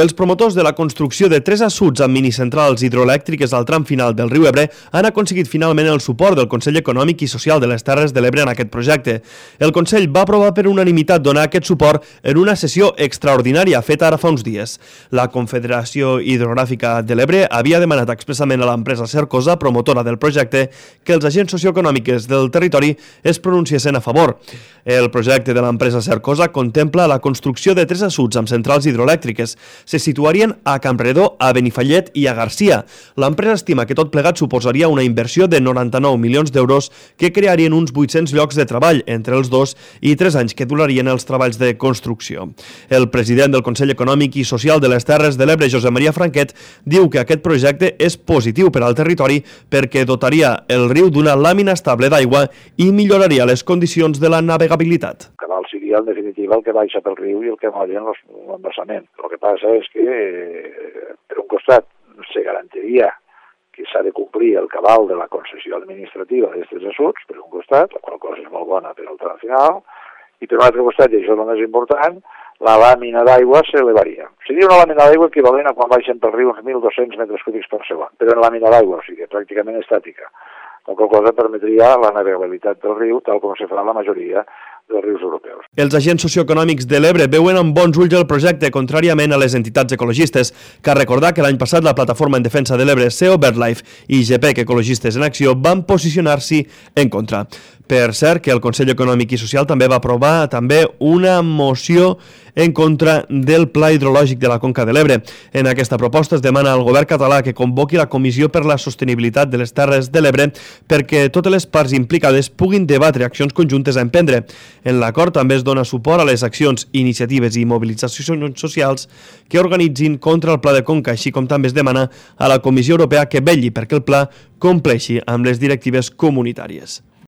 Els promotors de la construcció de 3 assuts amb minicentrals hidroelèctriques al tram final del riu Ebre han aconseguit finalment el suport del Consell Econòmic i Social de les Terres de l'Ebre en aquest projecte. El Consell va aprovar per unanimitat donar aquest suport en una sessió extraordinària feta ara fa uns dies. La Confederació Hidrogràfica de l'Ebre havia demanat expressament a l'empresa Cercosa, promotora del projecte, que els agents socioeconòmics del territori es pronunciessin a favor. El projecte de l'empresa Cercosa contempla la construcció de 3 assuts amb centrals hidroelèctriques. Se situarien a Campredó, a Benifallet i a Garcia. L'empresa estima que tot plegat suposaria una inversió de 99 milions d'euros que crearien uns 800 llocs de treball entre els 2 i 3 anys que durarien els treballs de construcció. El president del Consell Econòmic i Social de les Terres de l'Ebre, Josep Maria Franquet, diu que aquest projecte és positiu per al territori perquè dotaria el riu d'una làmina estable d'aigua i milloraria les condicions de la navegabilitat. Cabal seria en definitiva el que baixa pel riu i el que molla en l'embassament. El que passa és que, per un costat, se garantiria que s'ha de complir el cabal de la concessió administrativa d'aquests assuts, per un costat, la qual cosa és molt bona per al tram final, i per un altre costat, i això és el més important, la làmina d'aigua s'elevaria. Seria una làmina d'aigua equivalent a quan baixen pel riu uns 1.200 metres cúbics per segon, però en làmina d'aigua, o sigui, pràcticament estàtica. La qual cosa permetria la navegabilitat del riu, tal com se fa la majoria dels rius europeus. Els agents socioeconòmics de l'Ebre veuen amb bons ulls el projecte, contràriament a les entitats ecologistes. Cal recordar que l'any passat la Plataforma en Defensa de l'Ebre, CEO BirdLife i GPEC Ecologistes en Acció van posicionar-s'hi en contra. Per cert, que el Consell Econòmic i Social també va aprovar una moció en contra del Pla Hidrològic de la Conca de l'Ebre. En aquesta proposta es demana al govern català que convoqui la Comissió per la Sostenibilitat de les Terres de l'Ebre perquè totes les parts implicades puguin debatre accions conjuntes a emprendre. En l'acord també es dona suport a les accions, iniciatives i mobilitzacions socials que organitzin contra el Pla de Conca, així com també es demana a la Comissió Europea que vetlli perquè el pla compleixi amb les directives comunitàries.